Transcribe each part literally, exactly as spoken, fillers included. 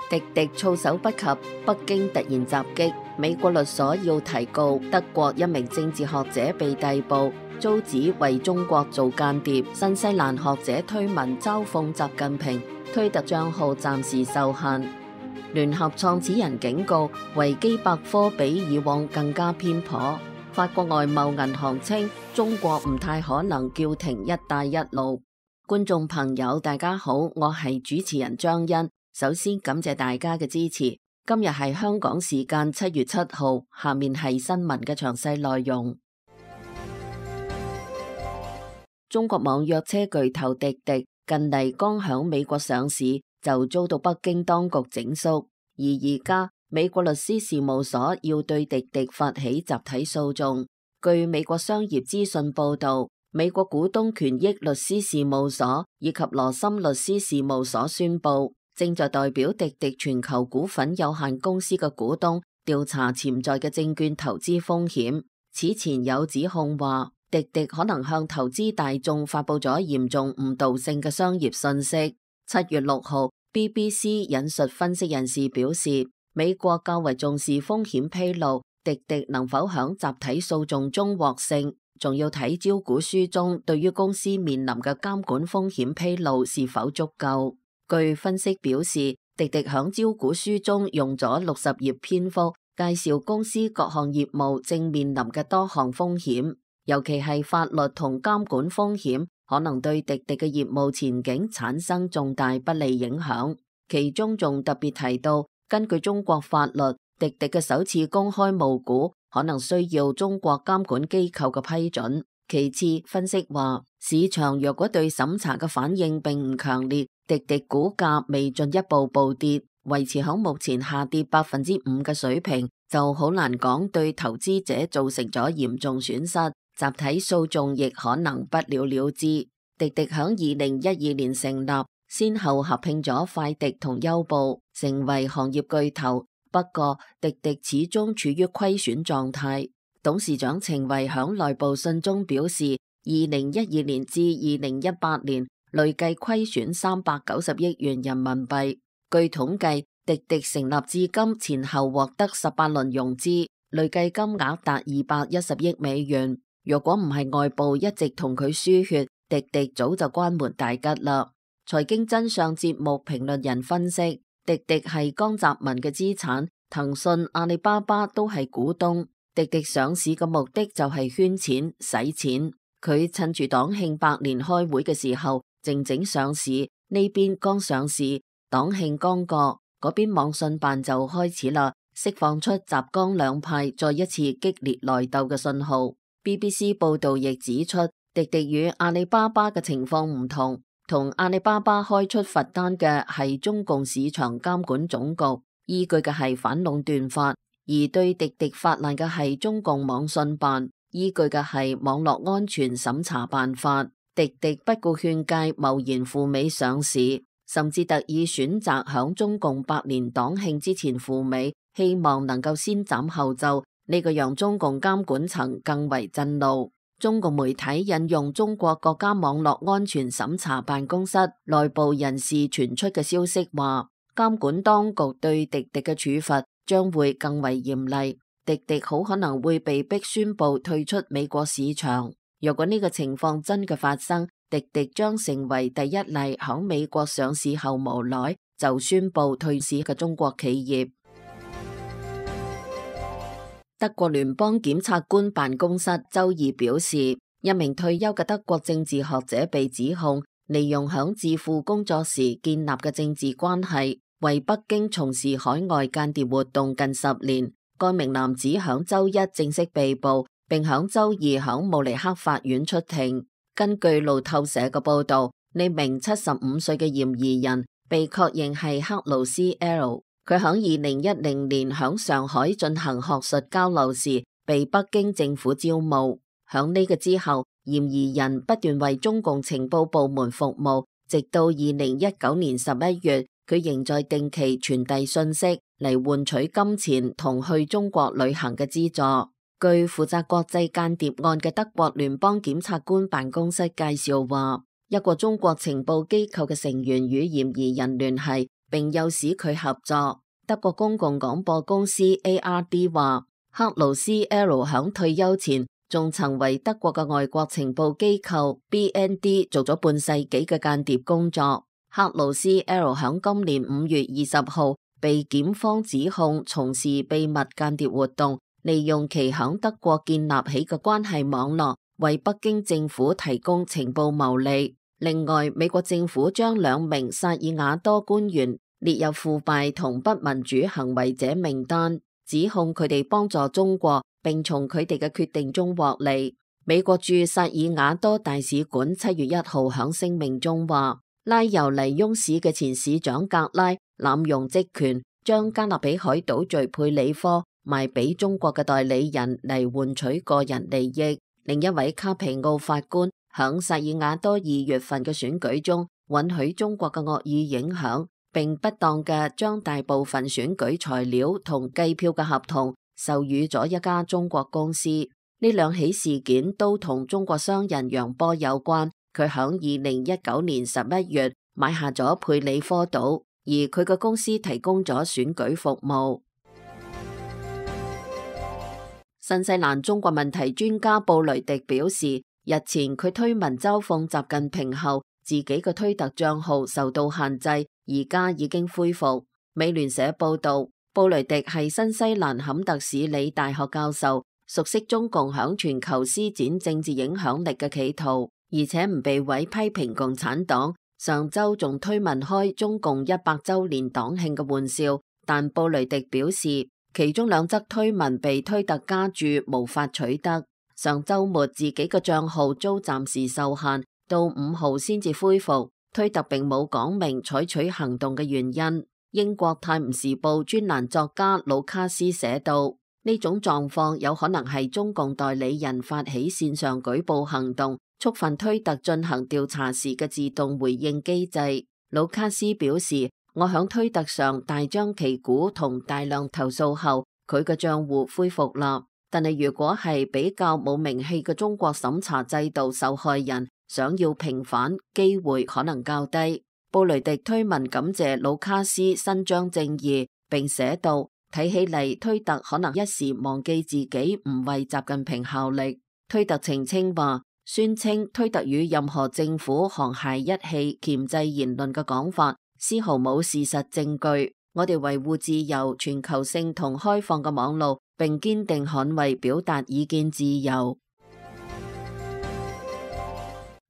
滴滴措手不及，北京突然襲擊，美國律所要提告德國一名政治學者被逮捕，遭指為中國做間諜。新西蘭學者推文嘲諷習近平，推特賬號暫時受限。聯合創始人警告，維基百科比以往更加偏頗。法國外貿銀行稱，中國唔太可能叫停一帶一路。觀眾朋友大家好，我係主持人張欣。首先感謝大家嘅支持。今日係香港時間七月七號，下面係新聞嘅詳細內容。中國網約車巨頭滴滴近嚟剛響美國上市，就遭到北京當局整肅，而而家美國律師事務所要對滴滴發起集體訴訟。據美國商業資訊報道，美國股東權益律師事務所以及羅森律師事務所宣布，正在代表滴滴全球股份有限公司嘅股東調查潛在嘅證券投資風險。此前有指控話，滴滴可能向投資大眾發佈咗嚴重誤導性嘅商業信息。七月六號 B B C 引述分析人士表示，美國較為重視風險披露，滴滴能否響集體訴訟中獲勝，仲要睇招股書中對於公司面臨嘅監管風險披露是否足夠。據分析表示，滴滴響招股書中用咗六十頁篇幅介紹公司各項業務正面臨嘅多項風險，尤其係法律同監管風險可能對滴滴嘅業務前景產生重大不利影響。其中仲特別提到，根據中國法律，滴滴嘅首次公開募股可能需要中國監管機構嘅批准。其次，分析話，市場若果對審查嘅反應並唔強烈，滴滴股價未進一步暴跌，維持響目前下跌百分之五嘅水平，就好難講對投資者造成咗嚴重損失。集體訴訟亦可能不了了之。滴滴響二零一二年成立，先後合併咗快滴同優步，成為行業巨頭。不過，滴滴始終處於虧損狀態。董事長程維響內部信中表示，二零一二年至二零一八年累計虧損三百九十億元人民幣。據統計，滴滴成立至今前後獲得十八輪融資，累計金額達二百一十億美元。若果唔係外部一直同佢輸血，滴滴早就關門大吉啦。財經真相節目評論人分析，滴滴係江澤民嘅資產，騰訊、阿里巴巴都係股東。滴滴上市嘅目的就係圈錢、使錢。佢趁住黨慶百年開會嘅時候，靜靜上市。呢邊剛上市，黨慶剛過，嗰邊網信辦就開始啦，釋放出習江兩派再一次激烈內鬥嘅信號。B B C 報道亦指出，滴滴與阿里巴巴嘅情況唔同，同阿里巴巴開出罰單嘅係中共市場監管總局，依據嘅係反壟斷法。而對滴滴發難嘅係中共網信辦，依據嘅係網絡安全審查辦法。滴滴不顧勸誡，貿然赴美上市，甚至特意選擇響中共百年黨慶之前赴美，希望能夠先斬後奏。呢個讓中共監管層更為震怒。中共媒體引用中國國家網絡安全審查辦公室內部人士傳出嘅消息話，監管當局對滴滴嘅處罰將會更為嚴厲，滴滴好可能會被迫宣布退出美國市場。若果呢個情況真嘅發生，滴滴將成為第一例響美國上市後無奈就宣布退市嘅中國企業。德國聯邦檢察官辦公室周二表示，一名退休嘅德國政治學者被指控利用響智庫工作時建立嘅政治關係，為北京從事海外間諜活動近十年。該名男子響周一正式被捕，並響周二響慕尼黑法院出庭。根據路透社嘅報道，呢名七十五歲嘅嫌疑人被確認係克魯斯 L。佢響二零一零年響上海進行學術交流時，被北京政府招募。響呢個之後，嫌疑人不斷為中共情報部門服務，直到二零一九年十一月，佢仍在定期傳遞信息嚟換取金錢同去中國旅行嘅資助。據負責國際間諜案嘅德國聯邦檢察官辦公室介紹話，一個中國情報機構嘅成員與嫌疑人聯繫，並誘使佢合作。德國公共廣播公司 A R D 話，克魯斯 L 響退休前仲曾為德國嘅外國情報機構 B N D 做咗半世紀嘅間諜工作。克魯斯 L 響今年五月二十號被檢方指控從事秘密間諜活動，利用其響德國建立起嘅關係網絡，為北京政府提供情報牟利。另外，美國政府將兩名薩爾瓦多官員列入腐敗同不民主行為者名單，指控佢哋幫助中國，並從佢哋嘅決定中獲利。美國駐薩爾瓦多大使館七月一號響聲明中話，拉尤尼翁市嘅前市長格拉濫用職權，將加勒比海島嶼佩里科賣俾中國嘅代理人嚟換取個人利益。另一位卡皮奧法官響薩爾瓦多二月份嘅選舉中，允許中國嘅惡意影響，並不當嘅將大部分選舉材料同計票嘅合同授予咗一家中國公司。呢兩起事件都同中國商人楊波有關。佢響二零一九年十一月買下咗佩里科島，而佢嘅公司提供咗選舉服務。新西蘭中國問題專家布雷迪表示，日前佢推文嘲諷習近平後，自己嘅推特賬號受到限制，而家已經恢復。美聯社報道，布雷迪係新西蘭坎特史里大學教授，熟悉中共響全球施展政治影響力嘅企圖，而且唔避諱批評共產黨。上周仲推文開中共一百周年黨慶嘅玩笑，但布雷迪表示，其中兩則推文被推特加注無法取得。上周末自己嘅賬號遭暫時受限，到五號先至恢復。推特並冇講明採取行動嘅原因。英國泰晤士報專欄作家魯卡斯寫道，呢種狀況有可能係中共代理人發起線上舉報行動，觸犯推特進行調查時嘅自動回應機制。魯卡斯表示，我響推特上大張旗鼓同大量投訴後，佢嘅賬戶恢復啦。但係如果係比較冇名氣嘅中國審查制度受害人，想要平反，機會可能較低。布雷迪推文感謝魯卡斯伸張正義，並寫道，睇起嚟推特可能一時忘記自己唔為習近平效力。推特澄清話，宣稱推特與任何政府沆瀣一氣鉗制言論嘅講法絲毫冇事實證據。我哋維護自由、全球性同開放嘅網路，並堅定捍衛表達意見自由。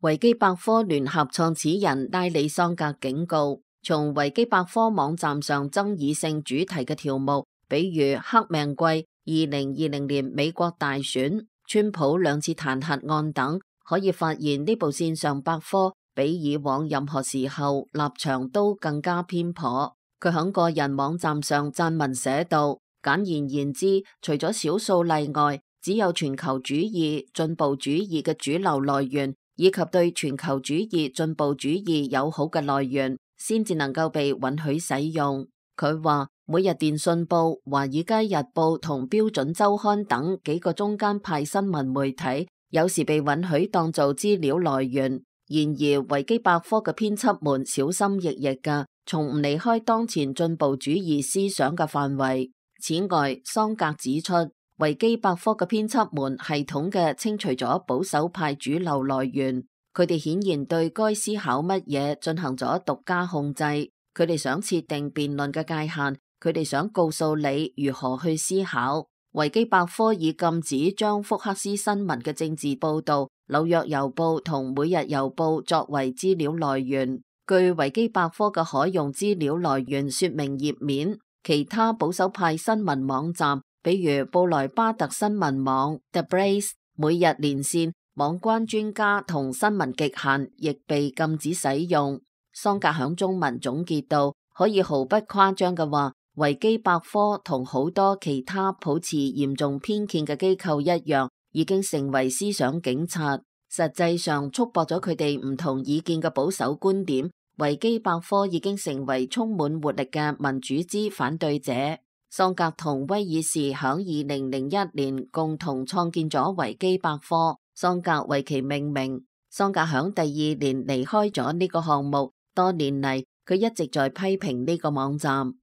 維基百科聯合創始人拉里桑格警告，從維基百科網站上爭議性主題嘅條目，比如黑命貴、二零二零年美國大選、川普兩次彈劾案等，可以發現呢部線上百科比以往任何時候立場都更加偏頗。佢喺個人網站上撰文寫道，簡言言之，除咗少數例外，只有全球主義、進步主義嘅主流來源，以及對全球主義、進步主義友好嘅來源，先至能夠被允許使用。佢話，每日電訊報、華爾街日報同標準週刊等幾個中間派新聞媒體，有時被允許當做資料來源。然而，維基百科嘅編輯們小心翼翼嘅，從唔離開當前進步主義思想嘅範圍。此外，桑格指出，維基百科嘅編輯們系統嘅清除咗保守派主流來源，佢哋顯然對該思考乜嘢進行咗獨家控制。佢哋想設定辯論嘅界限，佢哋想告訴你如何去思考。維基百科已禁止將福克斯新聞嘅政治報導、紐約郵報同每日郵報作為資料來源。據維基百科嘅可用資料來源說明頁面，其他保守派新聞網站，比如布萊巴特新聞網、The Blaze、每日連線、網關專家同新聞極限，亦被禁止使用。桑格響中文總結到，可以毫不誇張嘅話，維基百科同好多其他抱持嚴重偏見嘅機構一樣，已經成為思想警察，實際上束縛咗佢哋唔同意見嘅保守觀點。維基百科已經成為充滿活力嘅民主之反對者。桑格同威爾士響二零零一年共同創建咗維基百科，桑格為其命名。桑格響第二年離開咗呢個項目，多年嚟佢一直在批評呢個網站。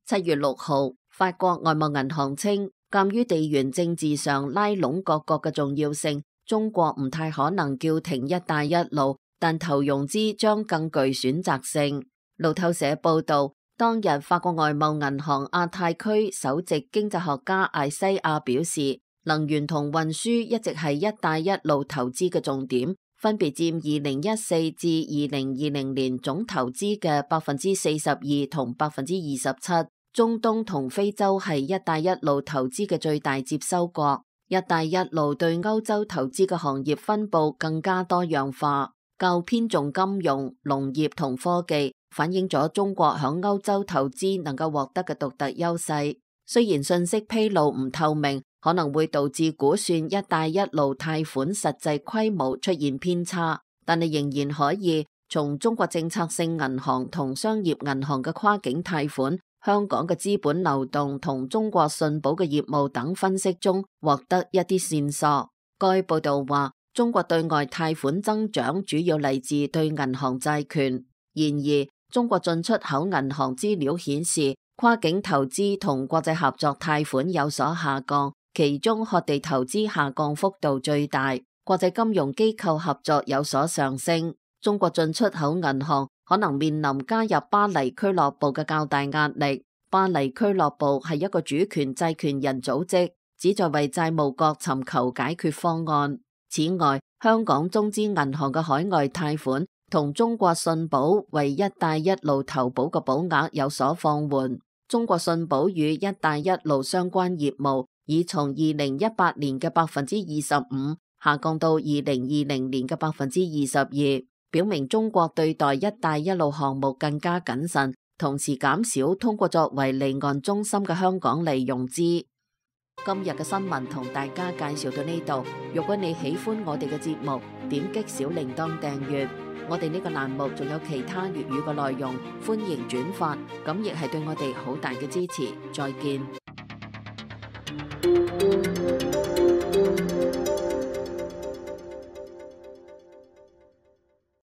七月六號，法國外貿銀行稱，鑒於地緣政治上拉攏各國嘅重要性，中國唔太可能叫停一帶一路，但投融資將更具選擇性。路透社報道，當日法國外貿銀行亞太區首席經濟學家艾西亞表示，能源同運輸一直係一帶一路投資嘅重點，分別佔二零一四至二零二零年總投資嘅百分之四十二同百分之二十七。中東同非洲係一帶一路投資嘅最大接收國。一帶一路對歐洲投資嘅行業分佈更加多樣化，較偏重金融、農業同科技，反映咗中國響歐洲投資能夠獲得嘅獨特優勢。雖然信息披露唔透明，可能會導致估算一帶一路貸款實際規模出現偏差，但係仍然可以從中國政策性銀行同商業銀行嘅跨境貸款、香港嘅資本流動同中國信保嘅業務等分析中獲得一啲線索。該報道話，中國對外貸款增長主要嚟自對銀行債券。然而，中國進出口銀行資料顯示，跨境投資同國際合作貸款有所下降，其中學地投資下降幅度最大，國際金融機構合作有所上升。中國進出口銀行可能面臨加入巴黎俱樂部嘅較大壓力。巴黎俱樂部係一個主權債權人組織，旨在為債務國尋求解決方案。此外，香港中資銀行嘅海外貸款同中國信保為一帶一路投保嘅保額有所放緩。中國信保與一帶一路相關業務已從二零一八年嘅百分之二十五下降到二零二零年嘅百分之二十二。表明中國對待一帶一路項目更加謹慎，同時減少通過作為離岸中心嘅香港嚟融資。今日嘅新聞同大家介紹到呢度。如果你喜歡我哋嘅節目，點擊小鈴鐺訂閱。我哋呢個欄目仲有其他粵語嘅內容，歡迎轉發，咁亦係對我哋好大嘅支持。再見。